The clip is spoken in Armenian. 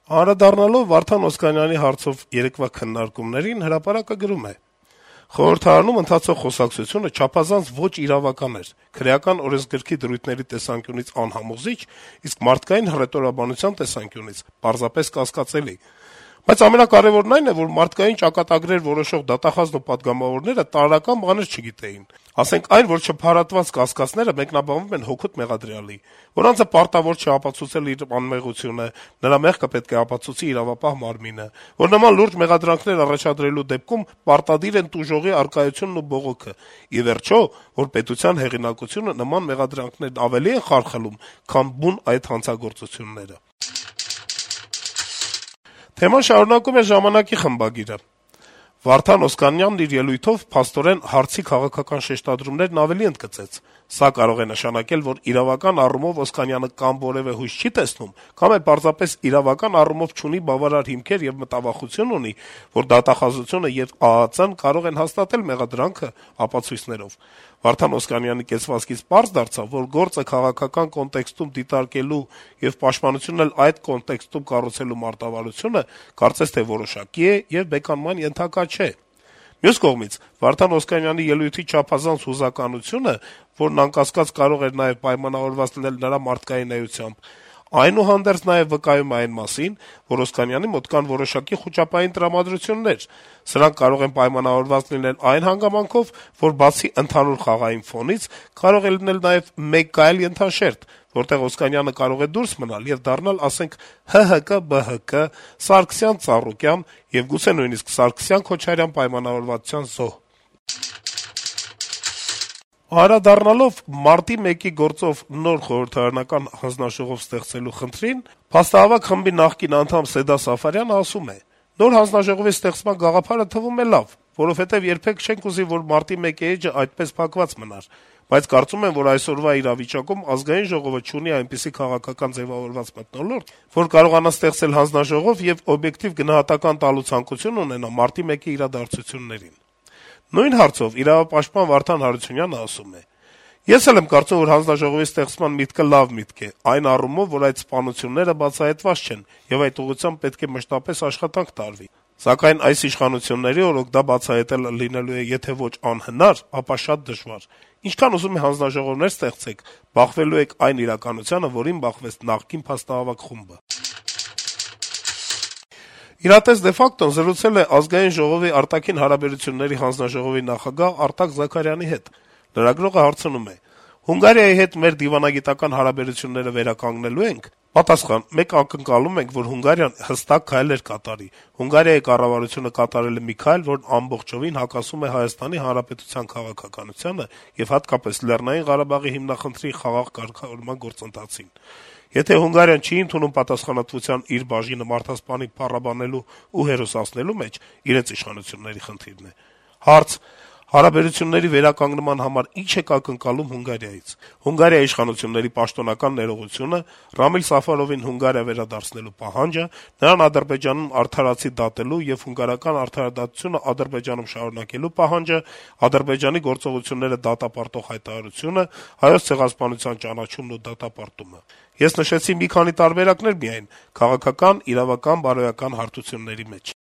Անդրադառնալով Վարդան Օսկանյանի հարցով երեկվա քննարկումներին, «Հրապարակ»-ը գրում է. - «Խորհրդարանում ընթացող խոսակցությունը չափազանց ոչ իրավական էր, քրեական օրենսգրքի դրույթների տեսանկյունից անհամոզիչ, իսկ մարդկային հռետորաբանության տեսանկյունից պարզապես կասկածելի: Բայց ամենակարեւորն այն է, որ մարդկային ճակատագրեր որոշող դատախազն ու պատգամավորները տարրական բաներ չգիտեին: Ասենք այն, որ չփարատված կասկածները մեկնաբանվում են հօգուտ մեղադրյալի, որ անձը պարտավոր չէ ապացուցել իր անմեղությունը, նրա մեղքը պետք է ապացուցի իրավապահ մարմինը, որ նման լուրջ մեղադրանքներ առաջադրելու դեպքում պարտադիր են տուժողի առկայությունն ու բողոքը, ի վերջո, որ պետության հեղինակությունը նման մեղադրանքներն ավելի են խարխլում, քան բուն այդ հանցագործությունները»: Թեման շարունակում է «Ժամանակ»-ի խմբագիրը. - «Վարդան Օսկանյանն իր ելույթով փաստորեն հարցի քաղաքական շեշտադրումներն ավելի ընդգծեց: Սա կարող է նշանակել, որ իրավական առումով Օսկանյանը կամ որեւէ հույս չի տեսնում, կամ էլ պարզապես իրավական առումով չունի բավարար հիմքեր եւ մտավախություն ունի, որ դատախազությունը եւ ԱԱԾ-ն կարող են հաստատել մեղադրանքը ապացույցներով: Վարդան Օսկանյանի կեցվածքից պարզ դարձավ, որ գործը քաղաքական կոնտեքստում դիտարկելու եւ պաշտպանությունն էլ այդ կոնտեքստում կառուցելու մարտավարությունը կարծես թե որոշակի է եւ բեկանման ենթակա չէ: Մյուս կողմից, Վարդան Օսկանյանի ելույթի չափազանց հուզականությունը, որն անկասկած կարող էր նաեւ պայմանավորված լինել նրա մարդկային էությամբ, այնուհանդերձ նաեւ վկայում է այն մասին, որ Օսկանյանի մոտ կան որոշակի խուճապային տրամադրություններ: Սրանք կարող են պայմանավորված լինել այն հանգամանքով, որ բացի ընդհանուր խաղային ֆոնից, կարող է լինել նաեւ մեկ այլ ենթաշերտ, որտեղ Օսկանյանը կարող է դուրս մնալ եւ դառնալ, ասենք, ՀՀԿ-ԲՀԿ, Սարգսյան-Ծառուկյան եւ գուցե նույնիսկ Սարգսյան-Քոչարյան պայմանավորվածության զոհ»: Անդրադառնալով մարտի 1-ի գործով նոր խորհրդարանական հանձնաժողով ստեղծելու խնդրին, Փաստահավաք խմբի նախկին անդամ Սեդա Սաֆարյանը ասում է. - «Նոր հանձնաժողովի ստեղծման գաղափարը թվում է լավ, որովհետեւ երբեք չենք ուզի, որ մարտի 1 էջը այդպես փակված մնար, բայց կարծում եմ, որ այսօրվա իրավիճակում Ազգային ժողովը չունի այնպիսի քաղաքական ձեւավորված մթնոլորտ, որ կարողանա ստեղծել հանձնաժողով եւ օբյեկտիվ գնահատական տալու ցանկություն ունենա մարտի 1-ի իրադարձություններին»: Նույն հարցով իրավապաշտպան Վարդան Հարությունյանը ասում է. - «Ես էլ եմ կարծում, որ հանձնաժողովի ստեղծման միտքը լավ միտք է, այն առումով, որ այդ սպանությունները բացահայտված չեն, եւ այդ ուղղությամբ պետք է մշտապես աշխատանք տարվի: Սակայն այս իշխանությունների օրոք դա բացահայտելը լինելու է եթե ոչ անհնար, ապա շատ դժվար: Ինչքան ուզում եք հանձնաժողովներ ստեղծեք, բախվելու եք այն իրականությանը, որին բախվեց նախկին Փաստահավաք խումբը»: «Իրատես de facto-ն» զրուցել է Ազգային ժողովի արտաքին հարաբերությունների հանձնաժողովի նախագահ Արտակ Զաքարյանի հետ: Լրագրողը հարցնում է. - «Հունգարիայի հետ մեր դիվանագիտական հարաբերությունները վերականգնելո՞ւ ենք»: Պատասխան. - «Մենք ակնկալում ենք, որ Հունգարիան հստակ քայլեր կատարի: Հունգարիայի կառավարությունը կատարել է մի քայլ, որն ամբողջովին հակասում է Հայաստանի Հանրապետության քաղաքականությանը եւ հատկապես Լեռնային Ղարաբաղի հիմնախնդրի խաղաղ կարգավորման գործընթացին: Եթե Հունգարիան չի ընդունում պատասխանատվության իր բաժինը մարդասպանին փառաբանելու ու հերոսացնելու մեջ, իրենց իշխանությունների խնդիրն է»: Հարց. - «Հարաբերությունների վերականգնման համար ի՞նչ եք ակնկալում Հունգարիայից»: Հունգարիայի իշխանությունների պաշտոնական ներողությունը, Ռամիլ Սաֆարովին Հունգարիա վերադարձնելու պահանջը, նրան Ադրբեջանում արդարացի դատելու եւ հունգարական արդարադատությունը Ադրբեջանում շարունակելու պահանջը, Ադրբեջանի գործողությունները դատապարտող հայտարարությունը, Հայոց ցեղասպանության ճանաչումն ու դատապարտումը: Ես նշեցի մի քանի տարբերակներ միայն` քաղաքական, իրավական, բարոյական հարթությունների մեջ»: